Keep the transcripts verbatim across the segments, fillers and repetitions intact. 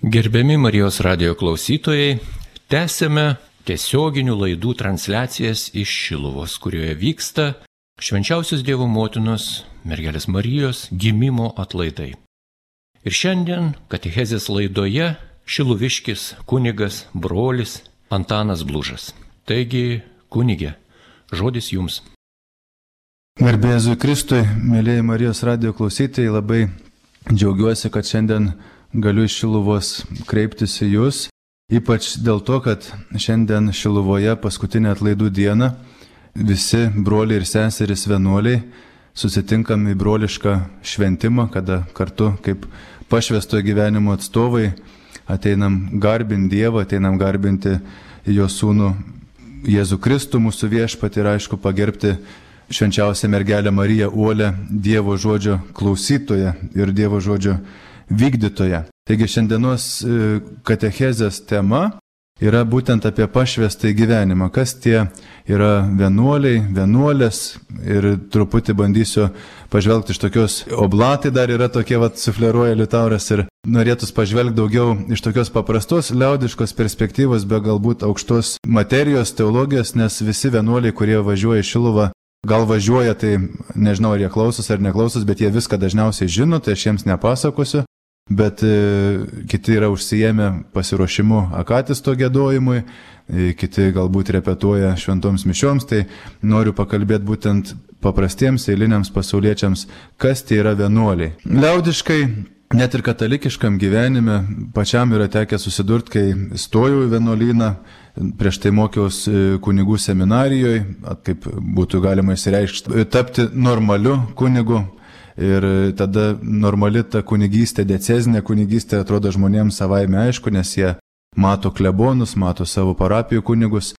Gerbiami Marijos radijo klausytojai, tęsėme tiesioginių laidų transliacijas iš Šiluvos, kurioje vyksta Švenčiausios Dievo Motinos Mergelės Marijos gimimo atlaidai. Ir šiandien katechezės laidoje šiluviškis kunigas brolis Antanas Blužas. Taigi, kunige, žodis jums. Garbė Jėzui Kristui, mėlyje Marijos radijo klausytojai, labai džiaugiuosi, kad šiandien galiu iš Šiluvos kreiptis į jūs, ypač dėl to, kad šiandien Šiluvoje paskutinę atlaidų dieną visi broliai ir seserys vienuoliai susitinkam į brolišką šventimą, kada kartu kaip pašvęstojo gyvenimo atstovai ateinam garbinti Dievą, ateinam garbinti jo sūnų Jėzų Kristų, mūsų viešpatį, ir aišku pagerbti švenčiausią mergelę Mariją Uolę, Dievo žodžio klausytoją ir Dievo žodžio vykdytoją. Taigi šiandienos katechezės tema yra būtent apie pašvęstąjį gyvenimą. Kas tie yra vienuoliai, vienuolės, ir truputį bandysiu pažvelgti iš tokios, oblatai dar yra tokie, vat, sufleruoja Liutauras, ir norėtus pažvelgti daugiau iš tokios paprastos, liaudiškos perspektyvos, be galbūt aukštos materijos, teologijos, nes visi vienuoliai, kurie važiuoja į Šiluvą, gal važiuoja, tai nežinau, ar jie klausos ar neklausos, bet jie viską dažniausiai žino, tai aš jiems nepasakosiu. Bet e, kiti yra užsijėmę pasiruošimu akatisto giedojimui, e, kiti galbūt repetuoja šventoms mišioms, tai noriu pakalbėti būtent paprastiems eiliniams pasauliečiams, kas tie yra vienuoliai. Liaudiškai, net ir katalikiškam gyvenime, pačiam yra tekę susidurti, kai stojau į vienuolyną, prieš tai mokiausi kunigų seminarijoje, kaip būtų galima išsireikšti, tapti normaliu kunigu. Ir tada normali ta kunigystė, diecezinė kunigystė atrodo žmonėms savaime aišku, nes jie mato klebonus, mato savo parapijų kunigus.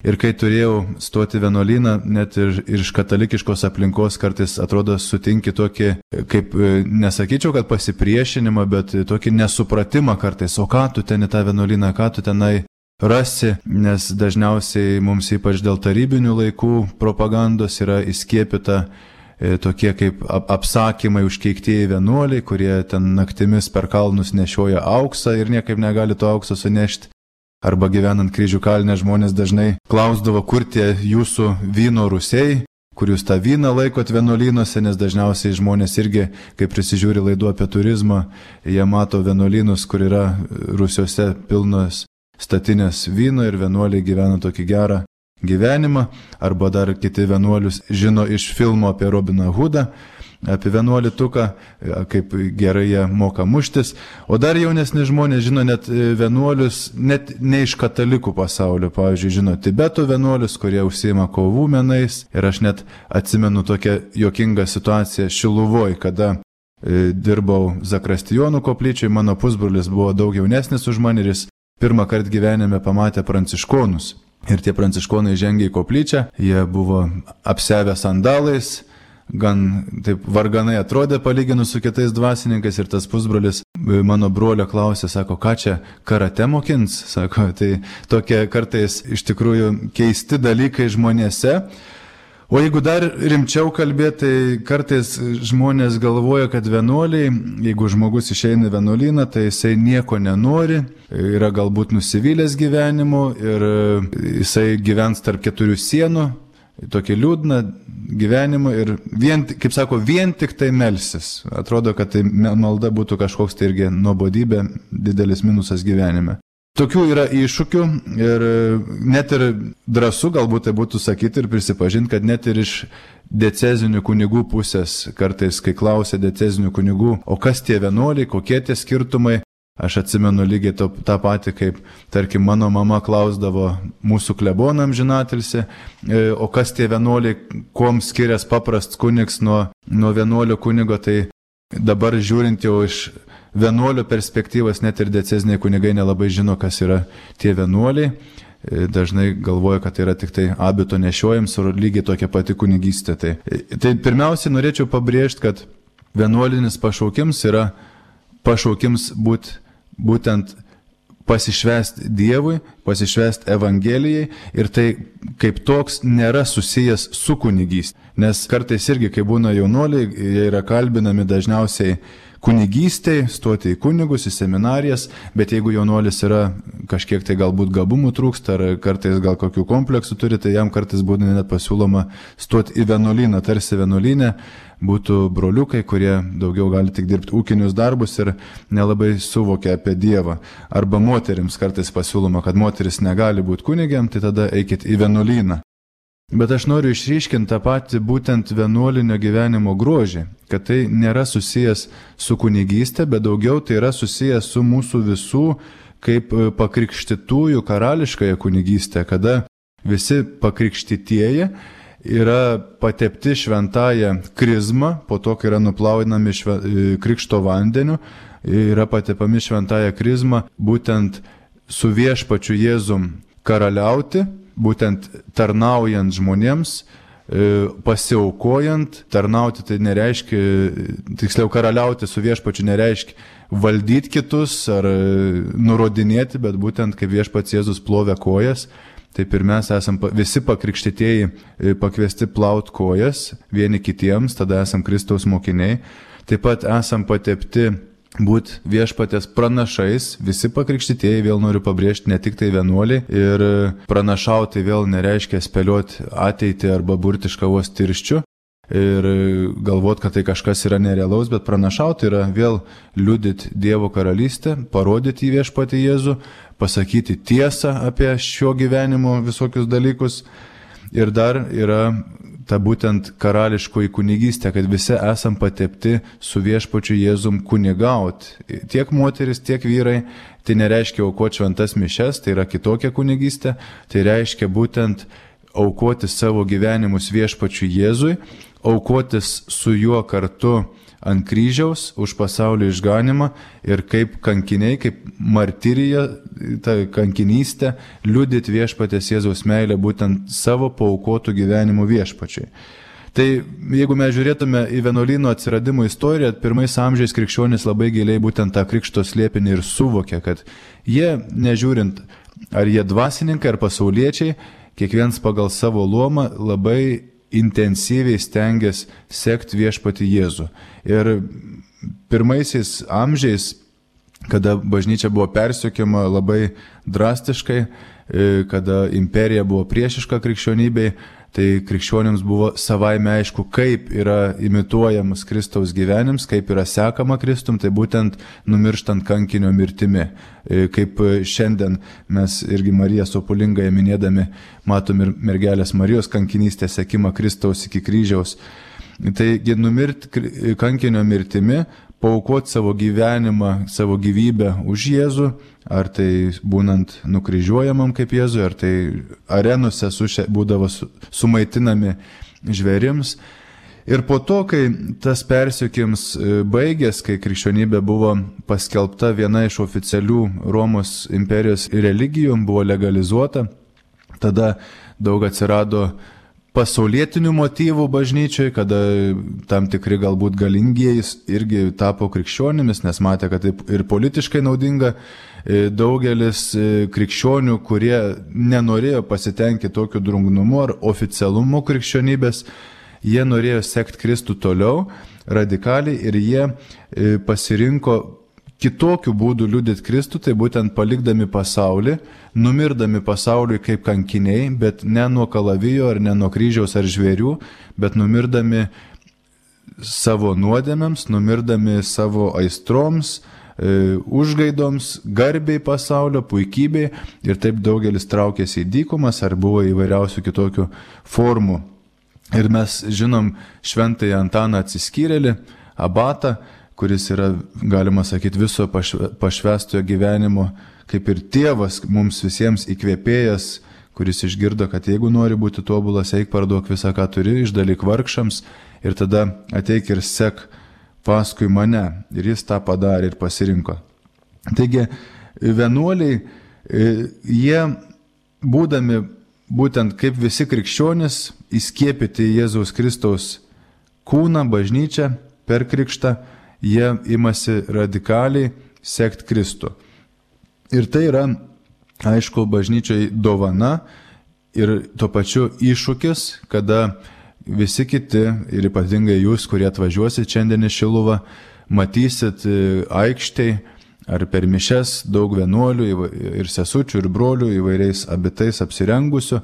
Ir kai turėjau stoti vienuolyną, net ir, ir iš katalikiškos aplinkos kartais atrodo sutinki tokį, kaip nesakyčiau, kad pasipriešinimą, bet tokį nesupratimą kartais, o ką tu ten į tą vienuolyną, ką tu tenai rasi, nes dažniausiai mums ypač dėl tarybinių laikų propagandos yra įskiepita tokie kaip apsakymai užkeiktieji vienuoliai, kurie ten naktimis per kalnus nešioja auksą ir niekaip negali to aukso sunešti. Arba gyvenant Kryžių kalne žmonės dažnai klausdavo, kur tie jūsų vyno rūsiai, kur jūs tą vyną laikot vienuolynuose, nes dažniausiai žmonės irgi, kai prisižiūri laidų apie turizmą, jie mato vienuolynus, kur yra rūsiuose pilnos statinės vyno ir vienuoliai gyvena tokį gerą gyvenimą, arba dar kiti vienuolius žino iš filmo apie Robiną Hoodą, apie vienuolį tuką, kaip gerai jie moka muštis, o dar jaunesni žmonės žino net vienuolius, net ne iš katalikų pasaulio, pavyzdžiui, žino Tibeto vienuolius, kurie užsiima kovų menais, ir aš net atsimenu tokią juokingą situaciją Šiluvoj, kada e, dirbau Zakristijonų koplyčiai, mano pusbrolis buvo daug jaunesnis už mane ir jis pirmą kartą gyvenime pamatė pranciškonus. Ir tie pranciškonai žengė į koplyčią, jie buvo apsiavę sandalais, gan taip varganai atrodė palyginus su kitais dvasininkais, ir tas pusbrolis mano brolio klausė, sako, ką čia karate mokins, sako, tai tokie kartais iš tikrųjų keisti dalykai žmonėse. O jeigu dar rimčiau kalbėti, tai kartais žmonės galvoja, kad vienuoliai, jeigu žmogus išeina į vienuolyną, tai jisai nieko nenori, yra galbūt nusivylęs gyvenimu ir jisai gyvens tarp keturių sienų, tokį liūdną gyvenimą ir, vien, kaip sako, vien tik tai melsis. Atrodo, kad tai malda būtų kažkoks tai irgi nuobodybė, didelis minusas gyvenime. Tokių yra iššūkių ir net ir drąsu galbūt tai būtų sakyti ir prisipažinti, kad net ir iš diecezinių kunigų pusės kartais, kai klausia diecezinių kunigų, o kas tie vienuoliai, kokie tie skirtumai, aš atsimenu lygiai to, tą patį, kaip, tarkim, mano mama klausdavo mūsų klebonam žinatilsi, o kas tie vienuoliai, kuom skiriasi paprasts kunigs nuo, nuo vienuolio kunigo, tai dabar žiūrint jau iš vienuolio perspektyvos, net ir dieceziniai kunigai nelabai žino, kas yra tie vienuoliai. Dažnai galvoja, kad tai yra tik tai abito nešiojams ir lygiai tokia pati kunigystė. Tai, tai pirmiausiai norėčiau pabrėžti, kad vienuolinis pašaukims yra pašaukims būt, būtent pasišvęsti Dievui, pasišvęsti Evangelijai, ir tai kaip toks nėra susijęs su kunigystė. Nes kartais irgi, kai būna jaunuoliai, jie yra kalbinami dažniausiai kunigystei, stoti į kunigus, į seminarijas, bet jeigu jaunuolis yra kažkiek tai galbūt gabumų trūksta, ar kartais gal kokių kompleksų turi, tai jam kartais būna net pasiūloma stoti į vienuolyną, tarsi vienuolynė būtų broliukai, kurie daugiau gali tik dirbti ūkinius darbus ir nelabai suvokia apie Dievą. Arba moterims kartais pasiūloma, kad moteris negali būti kunigėm, tai tada eikit į vienuolyną. Bet aš noriu išryškinti tą patį būtent vienuolinio gyvenimo grožį, kad tai nėra susijęs su kunigystė, bet daugiau tai yra susijęs su mūsų visų kaip pakrikštytųjų karališkąją kunigystę, kada visi pakrikštytieji yra patepti šventąją krizmą, po to, kai yra nuplaunami šve, krikšto vandeniu, yra patepami šventąją krizmą, būtent su viešpačiu Jėzum karaliauti, būtent tarnaujant žmonėms, pasiaukojant. Tarnauti tai nereiškia, tiksliau karaliauti su viešpačiu nereiškia valdyti kitus ar nurodinėti, bet būtent kaip viešpats Jėzus plovė kojas, taip ir mes esam visi pakrikštytieji pakviesti plaut kojas vieni kitiems, tada esam Kristaus mokiniai. Taip pat esam patepti būti viešpatės pranašais, visi pakrikštytieji, vėl noriu pabrėžti, ne tik tai vienuoliai, ir pranašauti vėl nereiškia spėlioti ateitį arba burti iš kavos tirščių ir galvoti, kad tai kažkas yra nerealaus, bet pranašauti yra vėl liudyti Dievo karalystę, parodyti į viešpatį Jėzų, pasakyti tiesą apie šio gyvenimo visokius dalykus. Ir dar yra ta būtent karališkoji kunigystė, kad visi esam patepti su viešpačiu Jėzum kunigauti. Tiek moteris, tiek vyrai, tai nereiškia aukoti šventas mišes, tai yra kitokia kunigystė, tai reiškia būtent aukoti savo gyvenimus viešpačiu Jėzui, aukotis su juo kartu ant kryžiaus už pasaulio išganimą ir kaip kankiniai, kaip martirija, ta kankinystė, liudyti viešpatės Jėzaus meilę būtent savo paaukotų gyvenimų viešpačiai. Tai jeigu mes žiūrėtume į vienuolyno atsiradimo istoriją, pirmais amžiais krikščionys labai giliai būtent tą krikšto slėpinį ir suvokė, kad jie, nežiūrint, ar jie dvasininkai ar pasauliečiai, kiekvienas pagal savo luomą labai intensyviai stengiasi sekti viešpatį Jėzų. Ir pirmaisiais amžiais, kada bažnyčia buvo persekiojama labai drastiškai, kada imperija buvo priešiška krikščionybei, tai krikščionims buvo savaime aišku, kaip yra imituojamas Kristaus gyvenims, kaip yra sekama Kristum, tai būtent numirštant kankinio mirtimi. Kaip šiandien mes irgi Mariją Sopulingąją minėdami matom ir mergelės Marijos kankinystę sekimą Kristaus iki kryžiaus. Taigi numirti kankinio mirtimi, paaukoti savo gyvenimą, savo gyvybę už Jėzų, ar tai būnant nukryžiuojamam kaip Jėzui, ar tai arenose suše, būdavo su, sumaitinami žvėrims. Ir po to, kai tas persekiojimas baigės, kai krikščionybė buvo paskelbta viena iš oficialių Romos imperijos religijų, buvo legalizuota, tada daug atsirado pasaulietinių motyvų bažnyčiai, kada tam tikri galbūt galingieji irgi tapo krikščionimis, nes matė, kad taip ir politiškai naudinga. Daugelis krikščionių, kurie nenorėjo pasitenkinti tokiu drungnumu ar oficialumu krikščionybės, jie norėjo sekti Kristų toliau radikaliai ir jie pasirinko kitokių būdų liudyti Kristų, tai būtent palikdami pasaulį, numirdami pasauliui kaip kankiniai, bet ne nuo kalavijo ar ne nuo kryžiaus ar žvėrių, bet numirdami savo nuodėmėms, numirdami savo aistroms, e, užgaidoms, garbiai pasaulio, puikybei, ir taip daugelis traukėsi į dykumas ar buvo įvairiausių kitokių formų. Ir mes žinom šventąjį Antaną Atsiskyrėlį, abatą, kuris yra, galima sakyti, viso pašvestojo gyvenimo, kaip ir tėvas mums visiems įkvėpėjas, kuris išgirdo, kad jeigu nori būti tobulas, eik parduok visą, ką turi, išdalyk vargšams ir tada ateik ir sek paskui mane. Ir jis tą padarė ir pasirinko. Taigi, vienuoliai, jie būdami būtent kaip visi krikščionys, įskiepyti Jėzaus Kristaus kūną, bažnyčią per krikštą, jie imasi radikaliai sekti Kristų. Ir tai yra, aišku, bažnyčiai dovana ir tuo pačiu iššūkis, kada visi kiti, ir ypatingai jūs, kurie atvažiuosit šiandien į Šiluvą, matysit aikštėj ar per mišias daug vienuolių ir sesučių ir brolių įvairiais abitais apsirengusių.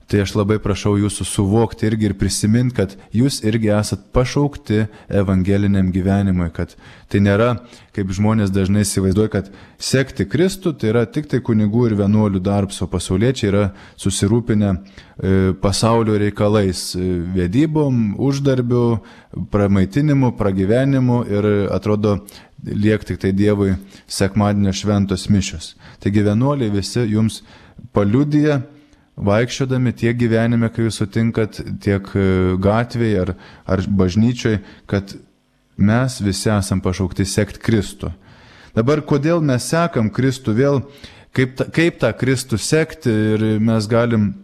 Tai aš labai prašau jūsų suvokti irgi ir prisiminti, kad jūs irgi esat pašaukti evangeliniam gyvenimui, kad tai nėra, kaip žmonės dažnai įsivaizduoja, kad sekti Kristų tai yra tik tai kunigų ir vienuolių darbas, o pasauliečiai yra susirūpinę pasaulio reikalais, vedybom, uždarbiu, pramaitinimu, pragyvenimu ir atrodo liek tik tai Dievui sekmadienio šventos mišios. Taigi vienuoliai visi jums paliudija, vaikščiodami tiek gyvenime, kai jūs sutinkat, tiek gatvėje ar, ar bažnyčioje, kad mes visi esam pašaukti sekti Kristų. Dabar, kodėl mes sekam Kristų vėl, kaip, ta, kaip tą Kristų sekti ir mes galim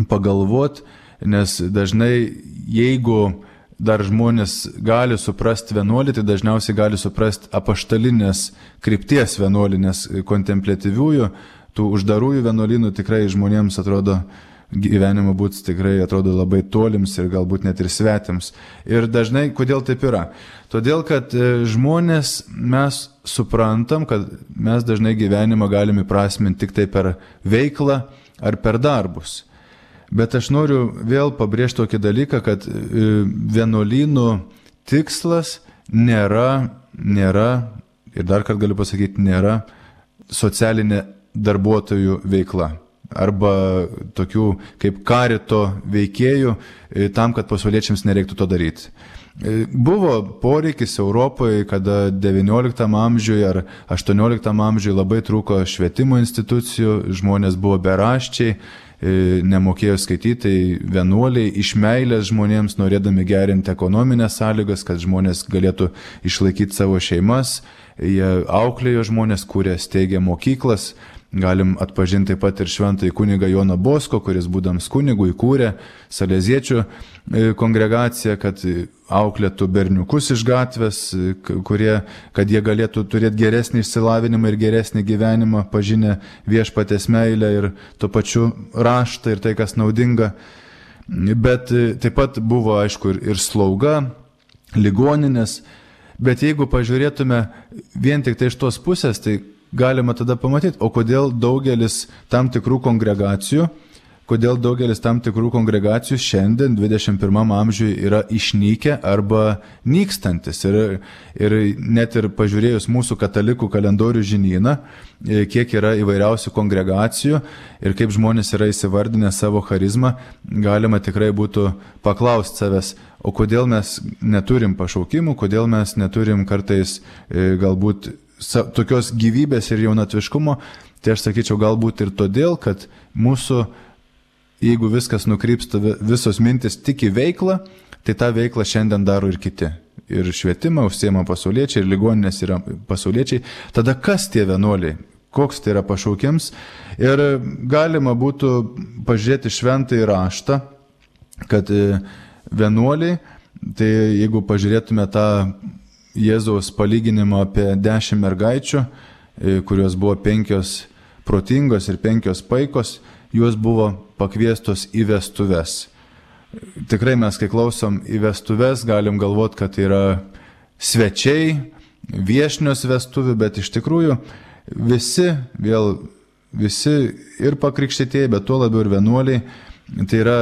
pagalvoti, nes dažnai, jeigu dar žmonės gali suprasti vienuolį, tai dažniausiai gali suprasti apaštalinės krypties vienuolį, nes kontempliatyviųjų, tų uždarųjų vienuolynų tikrai žmonėms atrodo gyvenimo būtis tikrai atrodo labai tolims ir galbūt net ir svetims. Ir dažnai, kodėl taip yra? Todėl, kad žmonės, mes suprantam, kad mes dažnai gyvenimą galime įprasminti tik tai per veiklą ar per darbus. Bet aš noriu vėl pabrėžti tokį dalyką, kad vienuolynų tikslas nėra, nėra, ir dar kartą galiu pasakyti, nėra socialinė darbuotojų veikla arba tokių kaip karito veikėjų tam, kad pasauliečiams nereiktų to daryti. Buvo poreikis Europoje, kada devynioliktam amžiuje ar aštuonioliktam amžiuje labai trūko švietimo institucijų, žmonės buvo beraščiai, nemokėjo skaityti, vienuoliai iš meilės žmonėms, norėdami gerinti ekonominės sąlygas, kad žmonės galėtų išlaikyti savo šeimas, jie auklėjo žmonės, kurie steigė mokyklas. Galim atpažinti taip pat ir šventąjį kunigą Joną Bosko, kuris būdams kunigų įkūrė saleziečių kongregaciją, kad auklėtų berniukus iš gatvės, kurie, kad jie galėtų turėti geresnį išsilavinimą ir geresnį gyvenimą, pažinę viešpatės meilę ir tuo pačiu raštą ir tai, kas naudinga. Bet taip pat buvo, aišku, ir slauga, ligoninės. Bet jeigu pažiūrėtume vien tik tai iš tos pusės, tai galima tada pamatyti, o kodėl daugelis tam tikrų kongregacijų, kodėl daugelis tam tikrų kongregacijų šiandien dvidešimt pirmam amžiuje yra išnykę arba nykstantis. Ir, ir net ir pažiūrėjus mūsų katalikų kalendorių žinyną, kiek yra įvairiausių kongregacijų ir kaip žmonės yra įsivardinę savo charizmą, galima tikrai būtų paklausti savęs, o kodėl mes neturim pašaukimų, kodėl mes neturim kartais galbūt tokios gyvybės ir jaunatviškumo. Tai aš sakyčiau galbūt ir todėl, kad mūsų, jeigu viskas nukrypsta, visos mintis tik į veiklą, tai tą veiklą šiandien daro ir kiti. Ir švietimą užsiema pasauliečiai, ir ligoninės yra pasauliečiai. Tada kas tie vienuoliai? Koks tai yra pašaukims? Ir galima būtų pažiūrėti šventąjį raštą, kad vienuoliai, tai jeigu pažiūrėtume tą Jėzaus palyginimą apie dešimt mergaičių, kurios buvo penkios protingos ir penkios paikos, jos buvo pakviestos į vestuves. Tikrai mes, kai klausom į vestuves, galim galvoti, kad tai yra svečiai, viešnios vestuvių, bet iš tikrųjų visi, vėl visi ir pakrikštytieji, bet tuo labiau ir vienuoliai, tai yra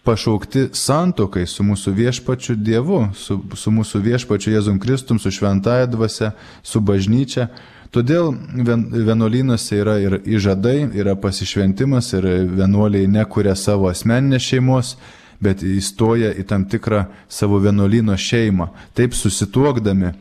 pašaukti santuokai su mūsų viešpačiu Dievu, su, su mūsų viešpačiu Jėzum Kristum, su šventąja dvasia, su bažnyčia. Todėl vienuolynuose yra ir įžadai, yra pasišventimas ir vienuoliai nekuria savo asmeninės šeimos, bet įstoja į tam tikrą savo vienuolyno šeimą. Taip susituokdami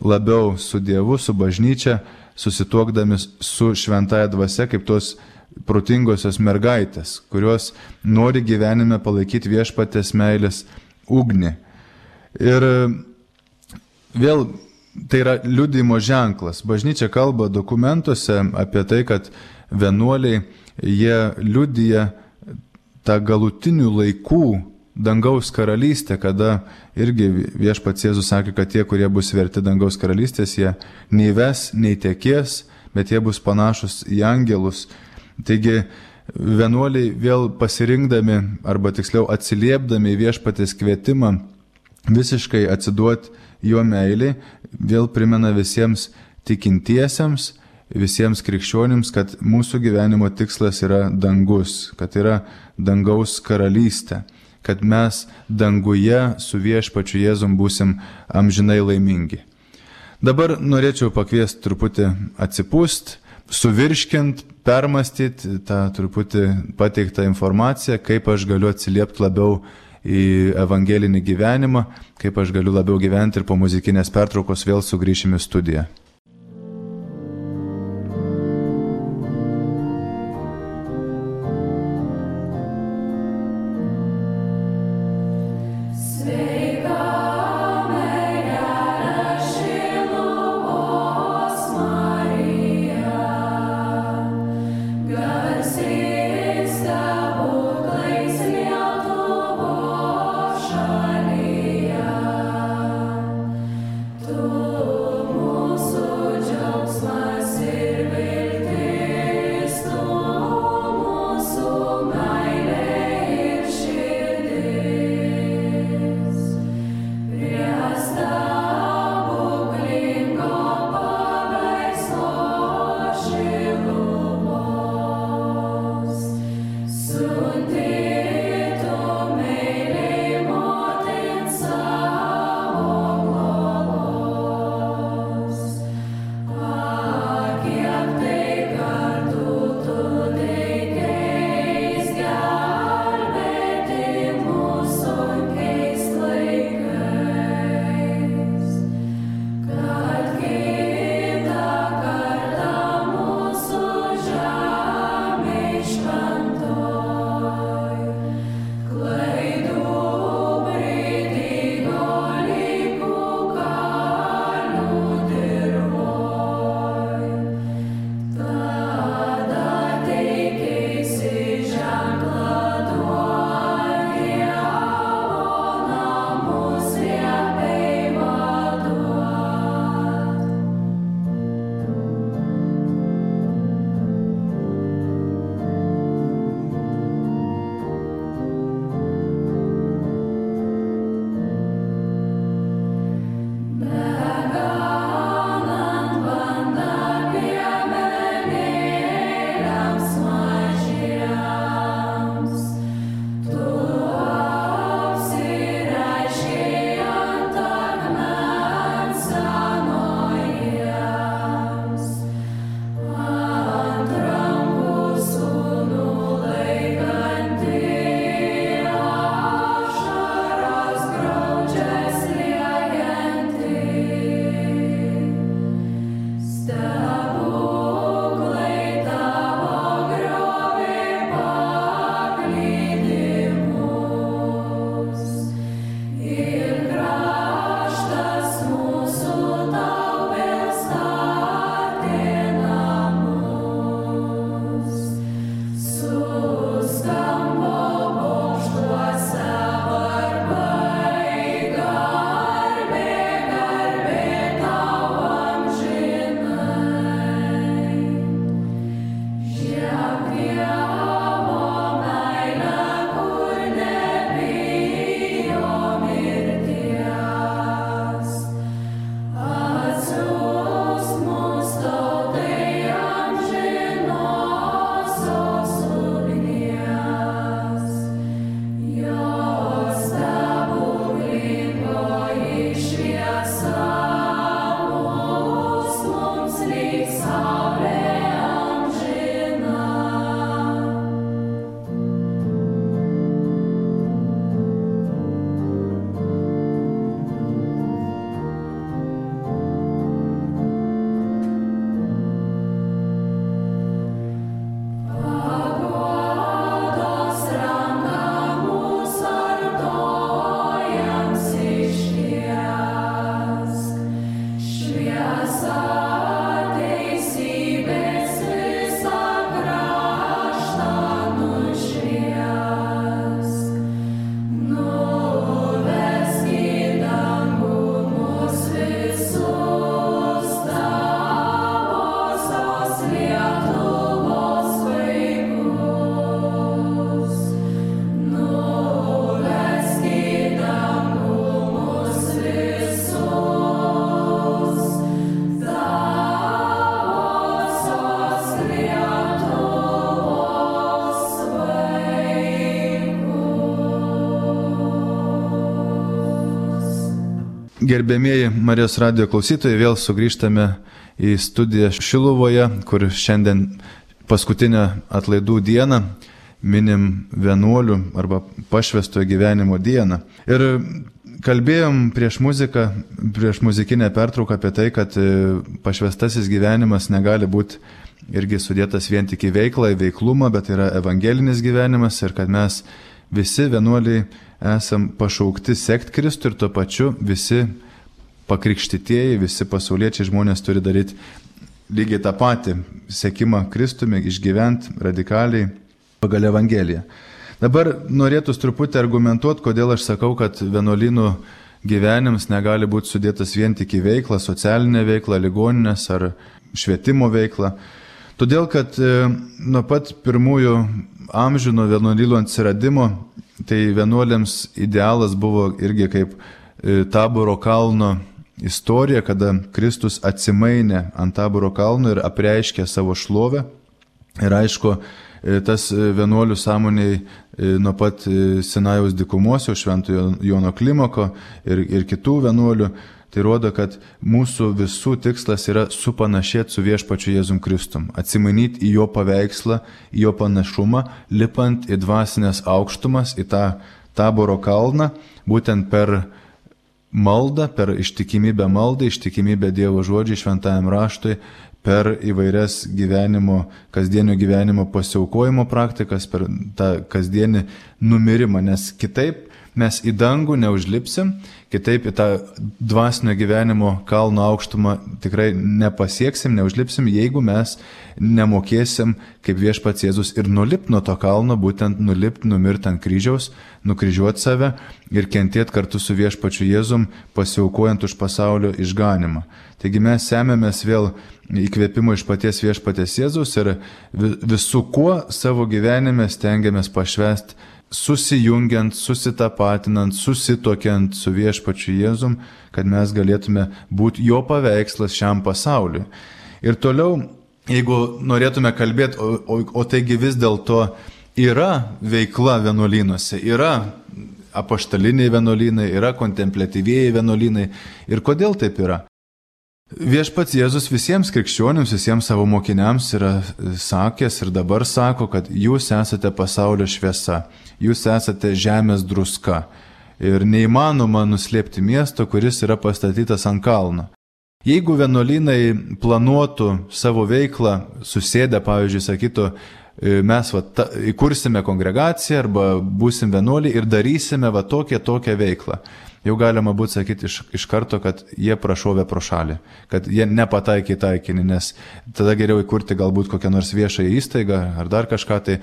labiau su Dievu, su bažnyčia, susituokdami su šventąja dvasia, kaip tos protingosios mergaitės, kurios nori gyvenime palaikyti viešpatės meilės ugnį. Ir vėl tai yra liudijimo ženklas. Bažnyčia kalba dokumentuose apie tai, kad vienuoliai, jie liudija tą galutinių laikų dangaus karalystę, kada irgi viešpats Jėzus sakė, kad tie, kurie bus verti dangaus karalystės, jie nei ves, nei tekės, bet jie bus panašus į angelus. Taigi vienuoliai vėl pasirinkdami, arba tiksliau atsiliepdami į viešpatės kvietimą visiškai atsiduoti jo meiliai, vėl primena visiems tikintiesiems, visiems krikščionims, kad mūsų gyvenimo tikslas yra dangus, kad yra dangaus karalystė, kad mes danguje su viešpačiu Jėzum būsim amžinai laimingi. Dabar norėčiau pakviesti truputį atsipūst, suvirškint, permastyti tą truputį pateiktą informaciją, kaip aš galiu atsiliepti labiau į evangelinį gyvenimą, kaip aš galiu labiau gyventi ir po muzikinės pertraukos vėl sugrįšim į studiją. Tu mūsų Gerbėmieji Marijos radijo klausytojai, vėl sugrįžtame į studiją Šiluvoje, kur šiandien paskutinę atlaidų dieną minim vienuolių arba pašvęstojo gyvenimo dieną. Ir kalbėjom prieš muziką, prieš muzikinę pertrauką apie tai, kad pašvęstasis gyvenimas negali būti irgi sudėtas vien tik į veiklą, į veiklumą, bet yra evangelinis gyvenimas ir kad mes visi vienuoliai esam pašaukti sekti Kristų ir tuo pačiu visi pakrikštytieji, visi pasauliečiai žmonės turi daryti lygiai tą patį sekimą Kristumi, išgyventi radikaliai pagal Evangeliją. Dabar norėtųs truputį argumentuoti, kodėl aš sakau, kad vienuolynų gyvenimas negali būti sudėtas vien tik į veiklą, socialinę veiklą, ligoninės ar švietimo veiklą. Todėl, kad nuo pat pirmųjų amžių, nuo vienuolynų atsiradimo, tai vienuoliams idealas buvo irgi kaip Taboro kalno istorija, kada Kristus atsimainė ant Taboro kalno ir apreiškė savo šlovę. Ir aišku, tas vienuolių sąmoniai nuo pat Sinajaus dykumos, jau Šventojo Jono Klimoko ir, ir kitų vienuolių, tai rodo, kad mūsų visų tikslas yra supanašėti su viešpačiu Jėzum Kristum, atsimainyti į jo paveikslą, į jo panašumą, lipant į dvasinės aukštumas, į tą Taboro kalną, būtent per maldą, per ištikimybę maldai, ištikimybę Dievo žodžiai, šventajam raštui, per įvairias gyvenimo, kasdienio gyvenimo pasiaukojimo praktikas, per tą kasdienį numirimą, nes kitaip mes į dangų neužlipsim, kitaip į tą dvasinio gyvenimo kalno aukštumą tikrai nepasieksim, neužlipsim, jeigu mes nemokėsim, kaip viešpats Jėzus, ir nulipti nuo to kalno, būtent nulipti, numirti ant kryžiaus, nukryžiuoti save ir kentėti kartu su viešpačiu Jėzum, pasiaukojant už pasaulio išganimą. Taigi mes semėmės vėl įkvėpimo iš paties viešpaties Jėzus ir visų kuo savo gyvenime stengiamės pašvęsti, susijungiant, susitapatinant, susitokiant su viešpačiu Jėzum, kad mes galėtume būti jo paveikslas šiam pasauliui. Ir toliau, jeigu norėtume kalbėti, o, o, o taigi vis dėlto yra veikla vienuolynuose, yra apaštaliniai vienuolynai, yra kontempliatyvieji vienuolynai. Ir kodėl taip yra? Viešpats Jėzus visiems krikščionims, visiems savo mokiniams yra sakęs ir dabar sako, kad jūs esate pasaulio šviesa, jūs esate žemės druska ir neįmanoma nuslėpti miesto, kuris yra pastatytas ant kalno. Jeigu vienuolynai planuotų savo veiklą, susėdę, pavyzdžiui, sakytų, mes va, ta, įkursime kongregaciją arba būsim vienuoliai ir darysime va tokią tokią veiklą. Jau galima būtų sakyti iš, iš karto, kad jie prašovė pro šalį, kad jie nepataikė į taikinį, nes tada geriau įkurti galbūt kokią nors viešąją įstaigą ar dar kažką tai.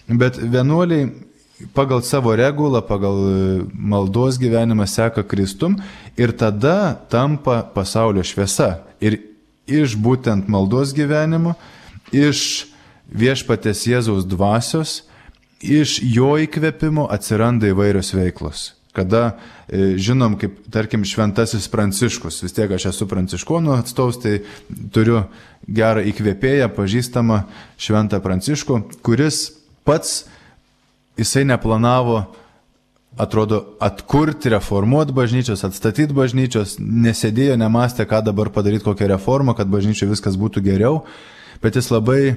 Bet vienuoliai pagal savo regulą, pagal maldos gyvenimą seka Kristum ir tada tampa pasaulio šviesa. Ir iš būtent maldos gyvenimo, iš viešpaties Jėzaus dvasios, iš jo įkvėpimo atsiranda įvairios veiklos. Kada žinom, kaip, tarkim, šventasis Pranciškus, vis tiek aš esu pranciškonų atstovas, tai turiu gerą įkvėpėją, pažįstamą šventą Pranciškų, kuris pats, jisai neplanavo, atrodo, atkurti, reformuoti bažnyčios, atstatyti bažnyčios, nesėdėjo, nemastė, ką dabar padaryti, kokią reformą, kad bažnyčioje viskas būtų geriau, bet jis labai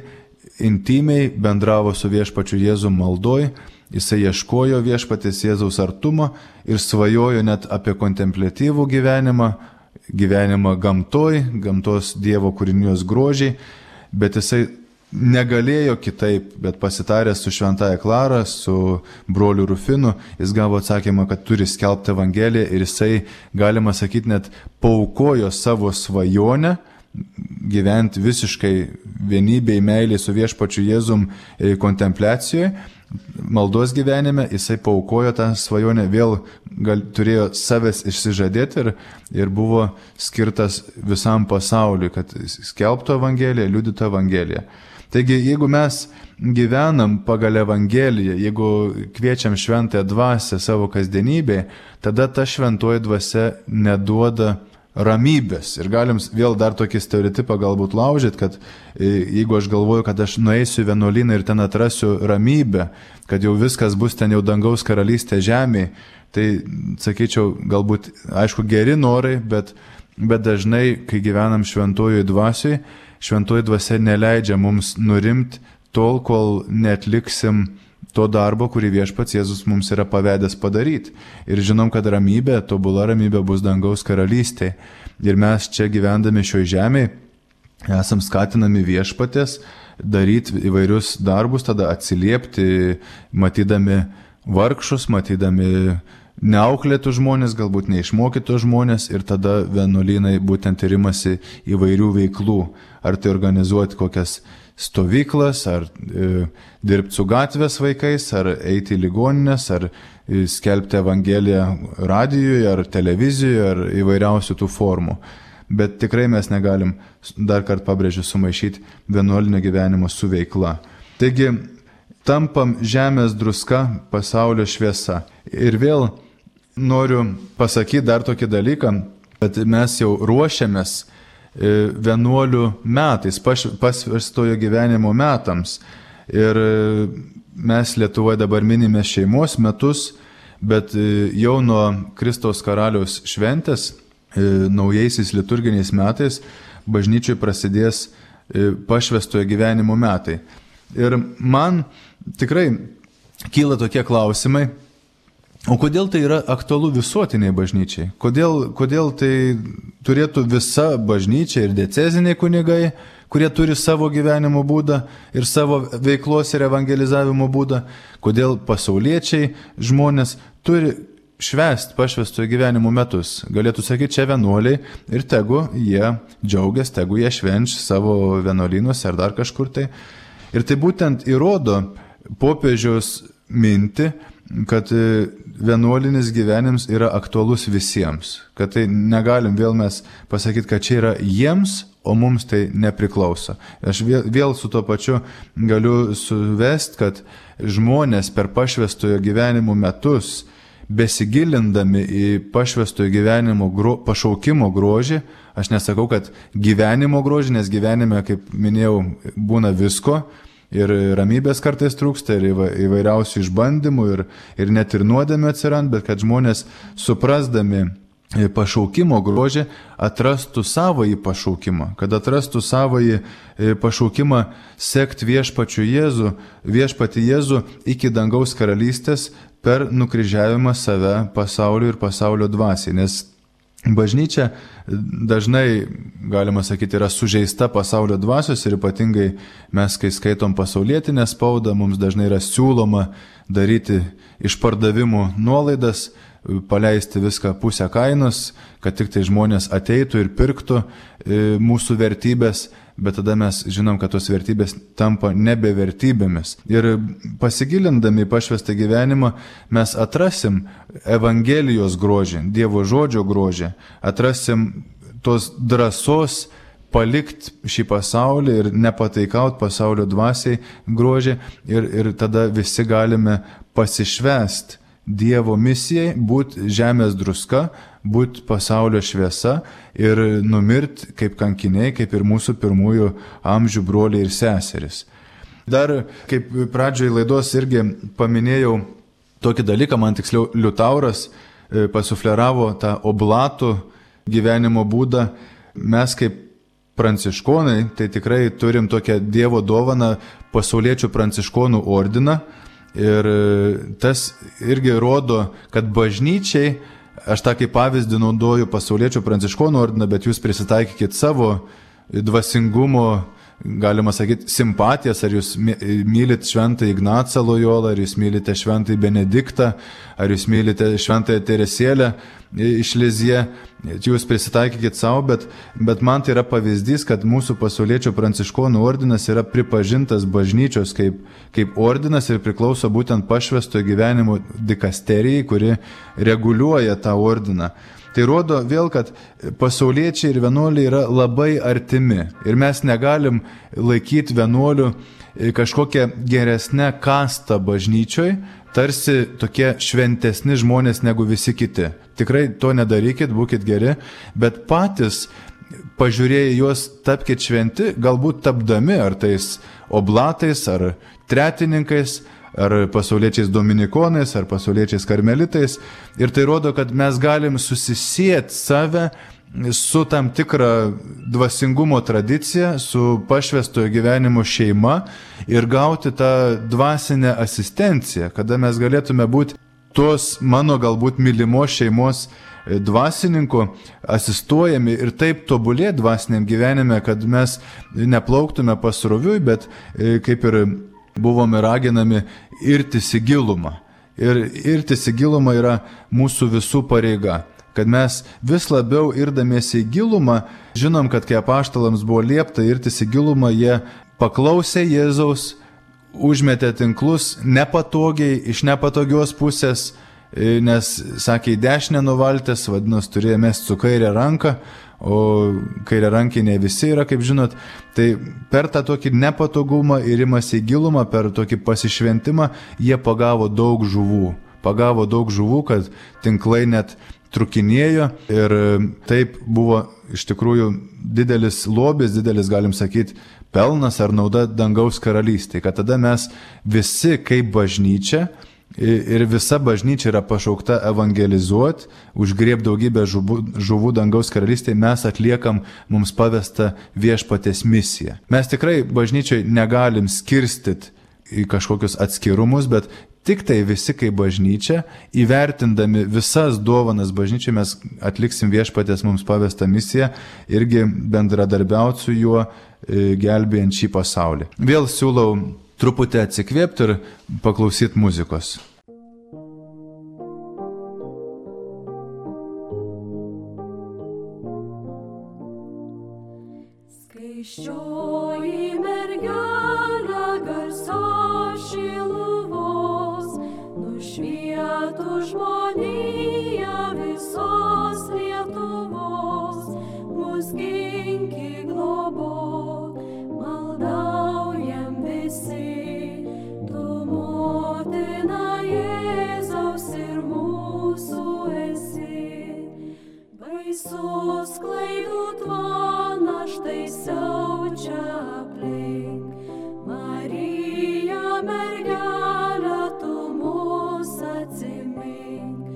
intimiai bendravo su viešpačiu Jėzum maldoj, jisai ieškojo viešpatės Jėzaus artumo ir svajojo net apie kontempliatyvų gyvenimą, gyvenimą gamtoj, gamtos Dievo kūrinijos grožiai, bet jisai negalėjo kitaip, bet pasitaręs su šventaja Klara, su broliu Rufinu, jis gavo atsakymą, kad turi skelbti Evangeliją ir jisai, galima sakyti, net paaukojo savo svajonę gyventi visiškai vienybėj, meiliai su viešpačiu Jėzum kontempliacijoje, maldos gyvenime, jisai paaukojo tą svajonę, vėl gal, turėjo savęs išsižadėti ir, ir buvo skirtas visam pasauliui, kad skelbtų Evangeliją, liudytų Evangeliją. Taigi, jeigu mes gyvenam pagal Evangeliją, jeigu kviečiam šventąją dvasią savo kasdienybėje, tada ta šventoji dvasia neduoda ramybės. Ir galim vėl dar tokį stereotipą galbūt laužyti, kad jeigu aš galvoju, kad aš nueisiu į vienuolyną ir ten atrasiu ramybę, kad jau viskas bus ten jau dangaus karalystė žemėje, tai sakyčiau, galbūt, aišku, geri norai, bet, bet dažnai, kai gyvenam šventojoj dvasioj, šventoji dvasia neleidžia mums nurimti tol, kol netliksim to darbo, kurį viešpats Jėzus mums yra pavedęs padaryti. Ir žinom, kad ramybė, tobula ramybė bus dangaus karalystė. Ir mes čia gyvendami šioj žemėje esam skatinami viešpatės daryti įvairius darbus, tada atsiliepti, matydami vargšus, matydami neauklėtų žmonės, galbūt neišmokytų žmonės, ir tada vienuolynai būtent rimasi įvairių veiklų. Ar tai organizuoti kokias stovyklas, ar e, dirbti su gatvės vaikais, ar eiti į ligoninės, ar e, skelbti Evangeliją radijoje, ar televizijoje, ar įvairiausių tų formų. Bet tikrai mes negalim, dar kartą pabrėžiu, sumaišyti vienuolinio gyvenimo su veikla. Taigi, tampam žemės druska, pasaulio šviesa. Ir vėl noriu pasakyti dar tokį dalyką, kad mes jau ruošiamės vienuolių metais, pasverstojo gyvenimo metams. Ir mes Lietuvoje dabar minime šeimos metus, bet jau nuo Kristaus karaliaus šventės, naujaisiais liturginiais metais, bažnyčiai prasidės pašvestojo gyvenimo metai. Ir man tikrai kyla tokie klausimai, o kodėl tai yra aktualu visuotiniai bažnyčiai? Kodėl, kodėl tai turėtų visa bažnyčia ir dieceziniai kunigai, kurie turi savo gyvenimo būdą ir savo veiklos ir evangelizavimo būdą? Kodėl pasauliečiai žmonės turi švęsti pašvestojo gyvenimo metus? Galėtų sakyti, čia vienuoliai ir tegu jie džiaugiasi, tegu jie švenč savo vienuolynuose ar dar kažkur tai. Ir tai būtent įrodo popiežiaus mintį, kad vienuolinis gyvenimas yra aktualus visiems, kad tai negalim vėl mes pasakyti, kad čia yra jiems, o mums tai nepriklauso. Aš vėl, vėl su to pačiu galiu suvesti, kad žmonės per pašvestojo gyvenimo metus, besigilindami į pašvestojo gyvenimo gro, pašaukimo grožį, aš nesakau, kad gyvenimo grožį, nes gyvenime, kaip minėjau, būna visko, ir ramybės kartais trūksta, ir įvairiausių išbandymų, ir, ir net ir nuodėmė atsirand, bet kad žmonės suprasdami pašaukimo grožį atrastų savąjį pašaukimą, kad atrastų savąjį pašaukimą sekti viešpačiu Jėzų, viešpatį Jėzų iki dangaus karalystės per nukryžiavimą save pasaulio ir pasaulio dvasiai, nes bažnyčia dažnai, galima sakyti, yra sužeista pasaulio dvasios ir ypatingai mes, kai skaitom pasaulietinę spaudą, mums dažnai yra siūloma daryti išpardavimų nuolaidas, paleisti viską pusę kainos, kad tik tai žmonės ateitų ir pirktų mūsų vertybės, bet tada mes žinom, kad tos vertybės tampa nebevertybėmis. Ir pasigilindami į pašvestą gyvenimą mes atrasim Evangelijos grožį, Dievo žodžio grožį, atrasim tos drąsos palikti šį pasaulį ir nepataikauti pasaulio dvasiai grožį ir, ir tada visi galime pasišvęsti Dievo misijai, būti žemės druska, būti pasaulio šviesa ir numirti kaip kankiniai, kaip ir mūsų pirmųjų amžių broliai ir seseris. Dar, kaip pradžioje laidos irgi paminėjau tokį dalyką, man tiksliau Liutauras pasufleravo tą oblatų gyvenimo būdą. Mes kaip pranciškonai, tai tikrai turim tokią Dievo dovaną pasauliečių pranciškonų ordiną. Ir tas irgi rodo, kad bažnyčiai, aš tą kaip pavyzdį naudoju pasauliečių pranciškonų ordiną, bet jūs prisitaikykit savo dvasingumo, galima sakyti, simpatijas, ar jūs mylit šventą Ignacą Lojolą, ar jūs mylite šventą Benediktą, ar jūs mylite šventąją Teresėlę iš Lizie, jūs prisitaikykit savo, bet, bet man tai yra pavyzdys, kad mūsų pasauliečių pranciškonų ordinas yra pripažintas bažnyčios kaip, kaip ordinas ir priklauso būtent pašvestojo gyvenimo dikasterijai, kuri reguliuoja tą ordiną. Tai rodo vėl, kad pasauliečiai ir vienuoliai yra labai artimi. Ir mes negalim laikyti vienuolių kažkokią geresnę kastą bažnyčioj, tarsi tokie šventesni žmonės negu visi kiti. Tikrai to nedarykit, būkit geri, bet patys pažiūrėję juos tapkite šventi, galbūt tapdami ar tais oblatais, ar tretininkais, ar pasauliečiais dominikonais, ar pasauliečiais karmelitais. Ir tai rodo, kad mes galim susisieti save su tam tikra dvasingumo tradicija, su pašvestojo gyvenimo šeima ir gauti tą dvasinę asistenciją, kada mes galėtume būti tos mano galbūt mylimos šeimos dvasininko asistuojami ir taip tobulė dvasiniam gyvenime, kad mes neplauktume pasroviui, bet kaip ir buvome raginami irtis į gilumą. Ir irtis į gilumą yra mūsų visų pareiga. Kad mes vis labiau irdamiesi į gilumą, žinom, kad kai apaštalams buvo liepta irtis į gilumą, jie paklausė Jėzaus, užmetė tinklus nepatogiai, iš nepatogios pusės, nes, sakė, į dešinę nuvaltės, vadinasi, turėjo mesti su kairę ranką, o kairė rankiai ne visi yra, kaip žinot. Tai per tą tokį nepatogumą ir imasi į gilumą, per tokį pasišventimą, jie pagavo daug žuvų. Pagavo daug žuvų, kad tinklai net trukinėjo ir taip buvo iš tikrųjų didelis lobis, didelis, galim sakyti, pelnas ar nauda dangaus karalystėje, kad tada mes visi kaip bažnyčia ir visa bažnyčia yra pašaukta evangelizuoti, užgrieb daugybę žuvų, žuvų dangaus karalystėje, mes atliekam mums pavestą viešpatės misiją. Mes tikrai bažnyčiai negalim skirstyti į kažkokius atskirumus, bet tik tai visi kaip bažnyčia, įvertindami visas dovanas bažnyčiai, mes atliksim viešpatės mums pavestą misiją, irgi bendradarbiauti su juo, gelbėjant šį pasaulį. Vėl siūlau truputį atsikvėpti ir paklausyti muzikos. Skaisčioji mergelė garsios Šiluvos, nušvietų žmoniją visos Lietuvos, mus ginki globok, maldaujam visi, tu motina Jėzaus ir mūsų esi. Baisus klaidų tvanas štai siaučia aplink, Marija mergelė, tu mus atsimink,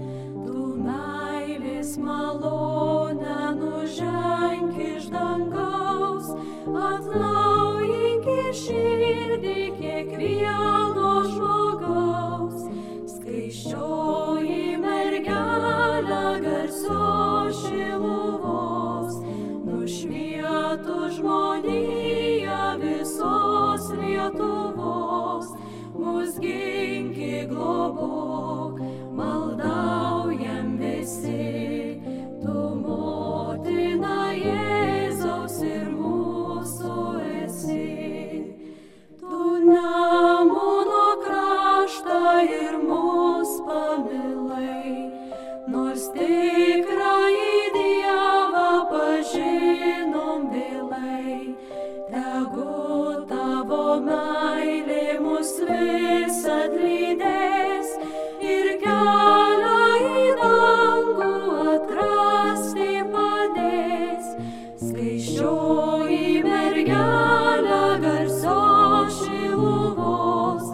tu meilės malonę nuženk iš dangaus, atnaujink širdį kiekvieno žmogaus. Skaisčioji mergelė garsios Šiluvos, nušvietų žmoniją visos Lietuvos, mus ginki globok, maldaujam visi, tu motina Jėzaus ir mūsų esi. Tu Nemuno kraštą ir mus pamilai, nors tikrąjį Dievą pažinom vėlai. Tegu tavo meilė mus visad lydės ir kelią į dangų atrasti padės. Skaisčioji mergelė garsios Šiluvos,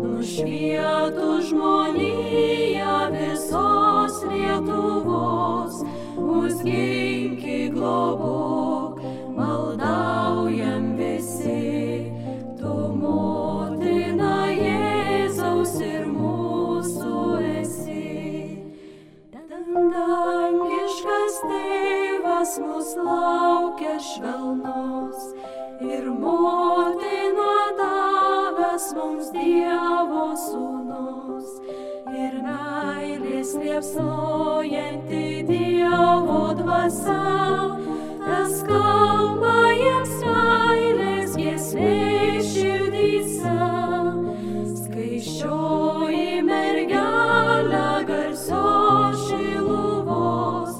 nušvietų žmoniją visos Lietuvos, mus ginki globok, maldaujam visi, tu motina Jėzaus ir mūsų esi. Dangiškas tėvas mus laukia švelnus ir motina davęs mums Dievo sūnus ir meilės liepsnojanti Dievo dvasia, tas kalba jiems meilės giesmė širdyse. Skaisčioji mergelė garsios Šiluvos,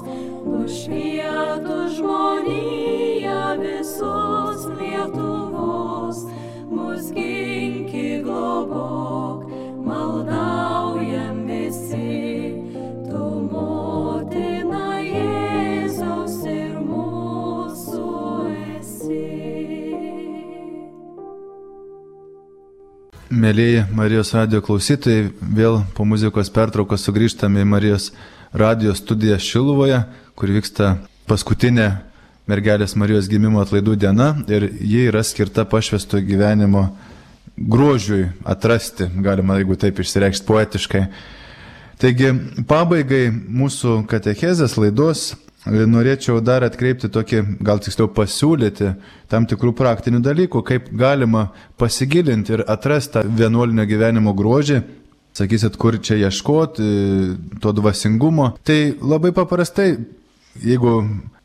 mus ginki globok, maldaujam visi, tu motina Jėzaus ir mūsų esi. Mėlyji Marijos radijo klausytojai, vėl po muzikos pertraukos sugrįžtame į Marijos radijo studiją Šiluvoje, kur vyksta paskutinė mergelės Marijos gimimo atlaidų diena ir ji yra skirta pašvęsto gyvenimo grožiui atrasti, galima, jeigu taip išsireikšti poetiškai. Taigi, pabaigai mūsų katechezės laidos norėčiau dar atkreipti tokį, gal tiksliau pasiūlyti tam tikrų praktinių dalykų, kaip galima pasigilinti ir atrasti tą vienuolinio gyvenimo grožį. Sakysit, kur čia ieškoti to dvasingumo. Tai labai paprastai, jeigu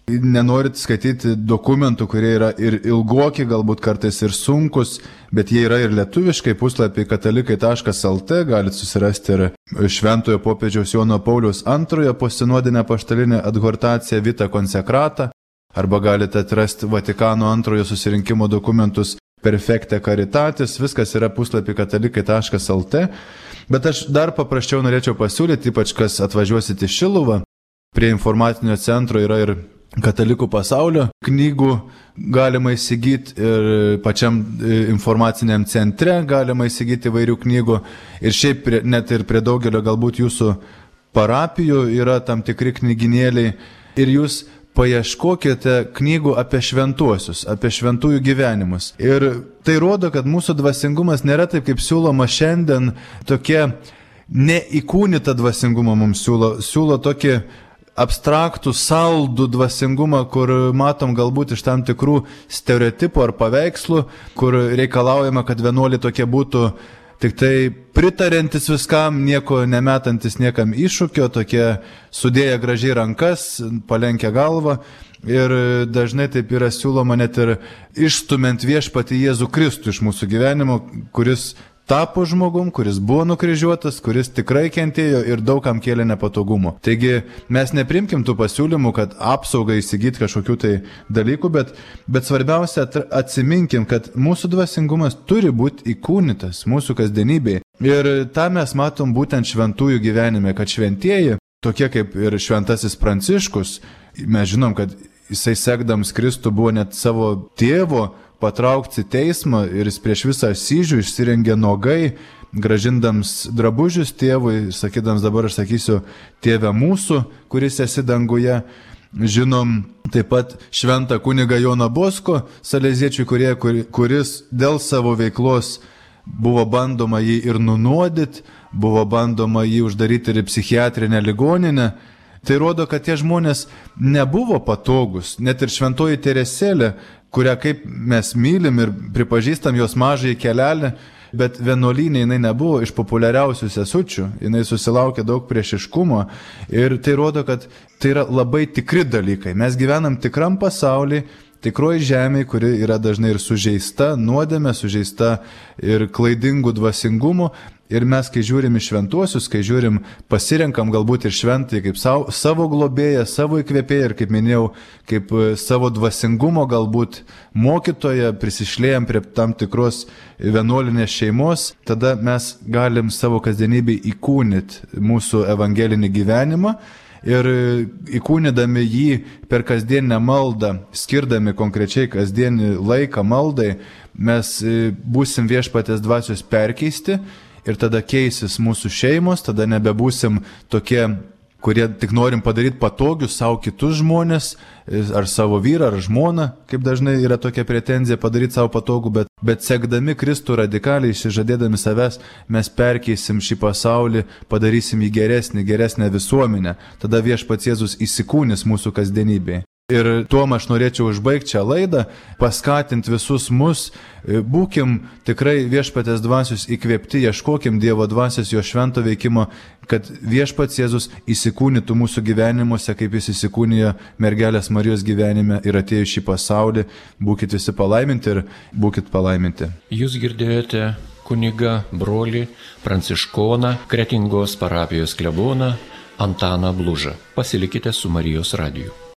nenorit skaityti dokumentų, kurie yra ir ilgoki, galbūt kartais ir sunkus, bet jie yra ir lietuviškai, puslapį katalikai taškas lt, galite susirasti ir Šventojo popiežiaus Jono Pauliaus antrojo posinodinę apaštalinę adhortaciją Vita Consecrata, arba galite atrasti Vatikano antrojo susirinkimo dokumentus Perfecte Caritatis, viskas yra puslapį katalikai taškas lt, bet aš dar paprasčiau norėčiau pasiūlyti, ypač kas atvažiuosite į Šiluvą, prie informacinio centro yra ir Katalikų pasaulio knygų galima įsigyti ir pačiam informaciniam centre galima įsigyti įvairių knygų ir šiaip net ir prie daugelio galbūt jūsų parapijų yra tam tikri knyginėliai ir jūs paieškokite knygų apie šventuosius, apie šventųjų gyvenimus. Ir tai rodo, kad mūsų dvasingumas nėra taip, kaip siūloma šiandien, tokie neįkūnytą dvasingumą mums siūlo, siūlo tokį abstraktų, saldų dvasingumą, kur matom galbūt iš tam tikrų stereotipų ar paveikslų, kur reikalaujama, kad vienuoliai tokie būtų tik tai pritarantis viskam, nieko nemetantis niekam iššūkio, tokie sudėję gražiai rankas, palenkę galvą. Ir dažnai taip yra siūloma net ir išstumiant viešpatį Jėzų Kristų iš mūsų gyvenimo, kuris tapo žmogum, kuris buvo nukryžiuotas, kuris tikrai kentėjo ir daugam kėlė nepatogumo. Taigi mes neprimkim tų pasiūlymų, kad apsaugai įsigyti kažkokių tai dalykų, bet, bet svarbiausia atsiminkim, kad mūsų dvasingumas turi būti įkūnytas mūsų kasdienybėje. Ir tą mes matom būtent šventųjų gyvenime, kad šventieji, tokie kaip ir šventasis Pranciškus, mes žinom, kad jisai sekdams Kristų buvo net savo tėvo patraukti teismą ir jis prieš visą Asyžių išsirengė nogai, gražindams drabužius tėvui, sakydams dabar aš sakysiu tėve mūsų, kuris esi danguje. Žinom taip pat šventą kunigą Joną Bosko, saleziečių kurie, kuris dėl savo veiklos buvo bandoma jį ir nunuodyti, buvo bandoma jį uždaryti ir į psichiatrinę ligoninę. Tai rodo, kad tie žmonės nebuvo patogus, net ir šventoji Teresėlė, kurią kaip mes mylim ir pripažįstam jos mažąjį kelelį, bet vienuolynė jinai nebuvo iš populiariausių sesučių, jinai susilaukė daug priešiškumo ir tai rodo, kad tai yra labai tikri dalykai. Mes gyvenam tikram pasaulyje, tikroji žemė, kuri yra dažnai ir sužeista nuodėme, sužeista ir klaidingų dvasingumų. Ir mes, kai žiūrim į šventuosius, kai žiūrim, pasirenkam galbūt ir šventai kaip savo, savo globėją, savo įkvėpėją ir, kaip minėjau, kaip savo dvasingumo galbūt mokytoją, prisišlėjam prie tam tikros vienuolinės šeimos, tada mes galim savo kasdienybėj įkūnyti mūsų evangelinį gyvenimą ir įkūnydami jį per kasdieninę maldą, skirdami konkrečiai kasdienį laiką maldai, mes būsim viešpatės dvasios perkeisti. Ir tada keisis mūsų šeimos, tada nebebūsim tokie, kurie tik norim padaryti patogius savo kitus žmonės, ar savo vyrą, ar žmoną, kaip dažnai yra tokia pretenzija padaryti savo patogų, bet, bet sekdami Kristų radikaliai, išsižadėdami savęs, mes perkeisim šį pasaulį, padarysim jį geresnį, geresnę visuomenę. Tada viešpats Jėzus įsikūnis mūsų kasdienybėje. Ir tuom aš norėčiau užbaigti šią laidą, paskatinti visus mus, būkim tikrai viešpatės dvasios įkvėpti, ieškokim Dievo dvasios jo švento veikimo, kad viešpats Jėzus įsikūnytų mūsų gyvenimuose, kaip jis įsikūnijo mergelės Marijos gyvenime ir atėjo šį pasaulį. Būkit visi palaiminti ir būkit palaiminti. Jūs girdėjote kunigą, brolį, pranciškoną, Kretingos parapijos kleboną Antaną Blužą. Pasilikite su Marijos radiju.